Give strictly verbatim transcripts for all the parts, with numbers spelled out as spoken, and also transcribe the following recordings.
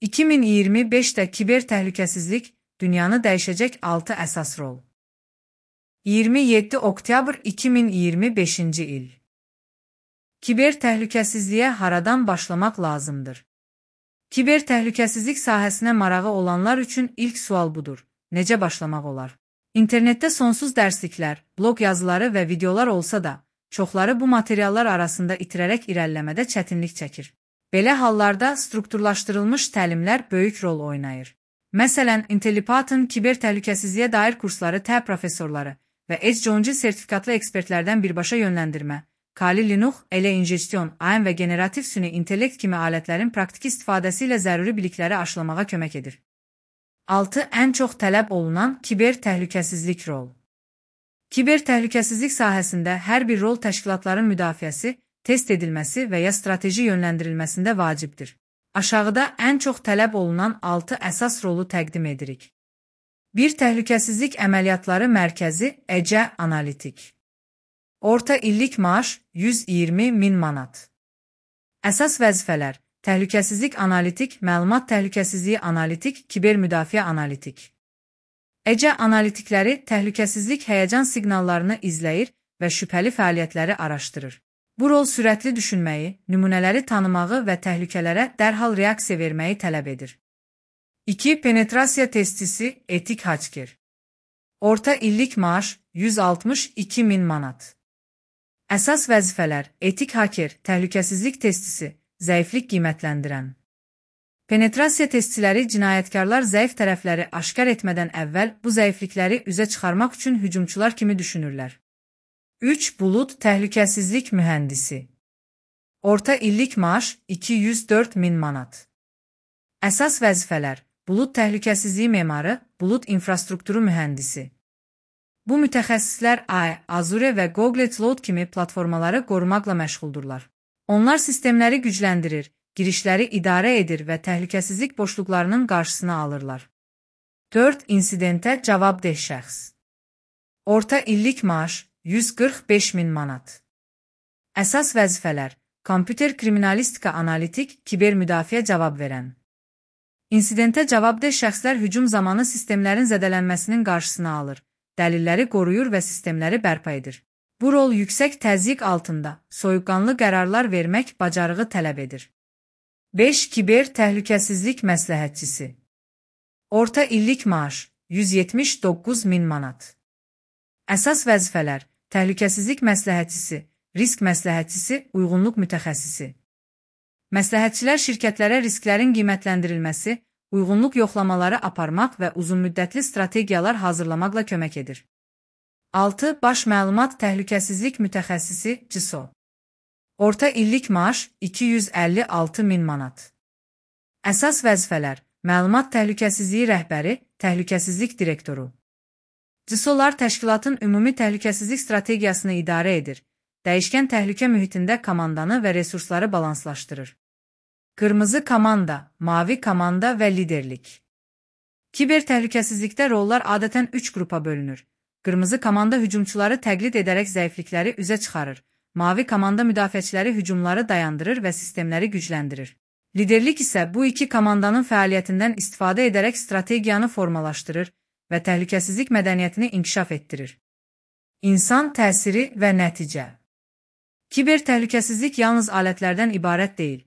iki min iyirmi beşdə kiber təhlükəsizlik dünyanı dəyişəcək altı əsas rol. iyirmi yeddi oktyabr iki min iyirmi beşinci il. Kiber təhlükəsizliyə haradan başlamaq lazımdır? Kiber təhlükəsizlik sahəsinə marağı olanlar üçün ilk sual budur. Necə başlamaq olar? İnternetdə sonsuz dərsliklər, blog yazıları və videolar olsa da, çoxları bu materiallar arasında itirərək irəliləmədə çətinlik çəkir. Belə hallarda strukturlaşdırılmış təlimlər böyük rol oynayır. Məsələn, IntelliPython kiber təhlükəsizliyə dair kursları T professorları və Edge sertifikatlı ekspertlərdən birbaşa yönləndirmə, Kali Linux, elə injestion, A M və generativ süni intellekt kimi alətlərin praktiki istifadəsi ilə zəruri bilikləri aşılamağa kömək edir. altı Ən çox tələb olunan kiber təhlükəsizlik rol. Kiber təhlükəsizlik sahəsində hər bir rol təşkilatların müdafiəsi, test edilməsi və ya strateji yönləndirilməsində vacibdir. Aşağıda ən çox tələb olunan altı əsas rolu təqdim edirik. bir Təhlükəsizlik əməliyyatları mərkəzi E C Analitik. Orta illik maaş yüz iyirmi min manat. Əsas vəzifələr: təhlükəsizlik analitik, məlumat təhlükəsizliyi analitik, kiber müdafiə analitik. E C analitikləri təhlükəsizlik həyəcan siqnallarını izləyir və şübhəli fəaliyyətləri araşdırır. Bu rol sürətli düşünməyi, nümunələri tanımağı və təhlükələrə dərhal reaksiya verməyi tələb edir. iki Penetrasiya testisi etik hacker. Orta illik maaş yüz altmış iki min manat. Əsas vəzifələr: etik hacker, təhlükəsizlik testisi, zəiflik qiymətləndirən. Penetrasiya testçiləri cinayətkarlar zəif tərəfləri aşkar etmədən əvvəl bu zəiflikləri üzə çıxarmaq üçün hücumçular kimi düşünürlər. üç Bulut təhlükəsizlik mühəndisi. Orta illik maaş iki yüz dörd min manat. Əsas vəzifələr: bulut təhlükəsizliyi memarı, bulut infrastrukturu mühəndisi. Bu mütəxəssislər A I, Azure və Google Cloud kimi platformaları qorumaqla məşğuldurlar. Onlar sistemləri gücləndirir, girişləri idarə edir və təhlükəsizlik boşluqlarının qarşısını alırlar. dörd İnsidentə cavabdeh şəxs. Orta illik maaş yüz qırx beş min manat. Əsas vəzifələr: kompüter kriminalistika analitik, kiber müdafiə cavab verən. İnsidentə cavabdeh şəxslər hücum zamanı sistemlərin zədələnməsinin qarşısını alır, dəlilləri qoruyur və sistemləri bərpa edir. Bu rol yüksək təzyiq altında soyuqqanlı qərarlar vermək bacarığı tələb edir. beş Kiber təhlükəsizlik məsləhətçisi. Orta illik maaş yüz yetmiş doqquz min manat. Əsas vəzifələr: təhlükəsizlik məsləhətçisi, risk məsləhətçisi, uyğunluq mütəxəssisi. Məsləhətçilər şirkətlərə risklərin qiymətləndirilməsi, uyğunluq yoxlamaları aparmaq və uzunmüddətli strategiyalar hazırlamaqla kömək edir. altı Baş məlumat təhlükəsizlik mütəxəssisi C I S O. Orta illik maaş iki yüz əlli altı min manat. Əsas vəzifələr: məlumat təhlükəsizliyi rəhbəri, təhlükəsizlik direktoru. C I S O'lar təşkilatın ümumi təhlükəsizlik strategiyasını idarə edir, dəyişkən təhlükə mühitində komandanı və resursları balanslaşdırır. Qırmızı komanda, mavi komanda və liderlik. Kiber təhlükəsizlikdə rollar adətən üç qrupa bölünür. Qırmızı komanda hücumçuları təqlid edərək zəiflikləri üzə çıxarır, mavi komanda müdafiəçiləri hücumları dayandırır və sistemləri gücləndirir. Liderlik isə bu iki komandanın fəaliyyətindən istifadə edərək strategiyanı formalaşdırır və təhlükəsizlik mədəniyyətini inkişaf etdirir. İnsan təsiri və nəticə. Kiber təhlükəsizlik yalnız alətlərdən ibarət deyil.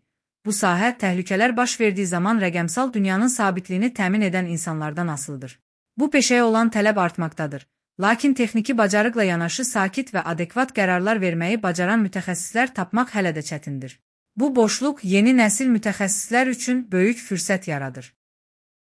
Bu sahə təhlükələr baş verdiyi zaman rəqəmsal dünyanın sabitliyini təmin edən insanlardan asılıdır. Bu peşəyə olan tələb artmaqdadır. Lakin texniki bacarıqla yanaşı sakit və adekvat qərarlar verməyi bacaran mütəxəssislər tapmaq hələ də çətindir. Bu boşluq yeni nəsil mütəxəssislər üçün böyük fürsət yaradır.